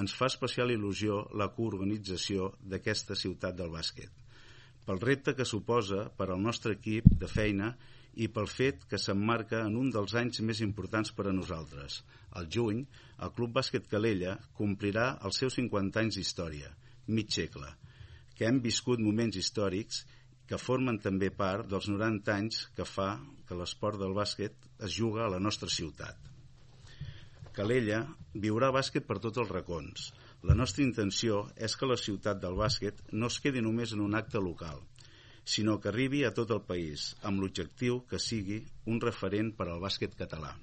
ens fa especial il·lusió la coorganització d'aquesta ciutat del bàsquet, pel repte que suposa per al nostre equip de feina i pel fet que s'emmarca en un dels anys més importants per a nosaltres. Al juny, el Club Bàsquet Calella complirà els seus 50 anys d'història, mig segle, que hem viscut moments històrics que formen també part dels 90 anys que fa que l'esport del bàsquet es juga a la nostra ciutat. Calella viurà bàsquet per tots els racons. La nostra intenció és que la ciutat del bàsquet no es quedi només en un acte local, sinó que arribi a tot el país, amb l'objectiu que sigui un referent per al bàsquet català.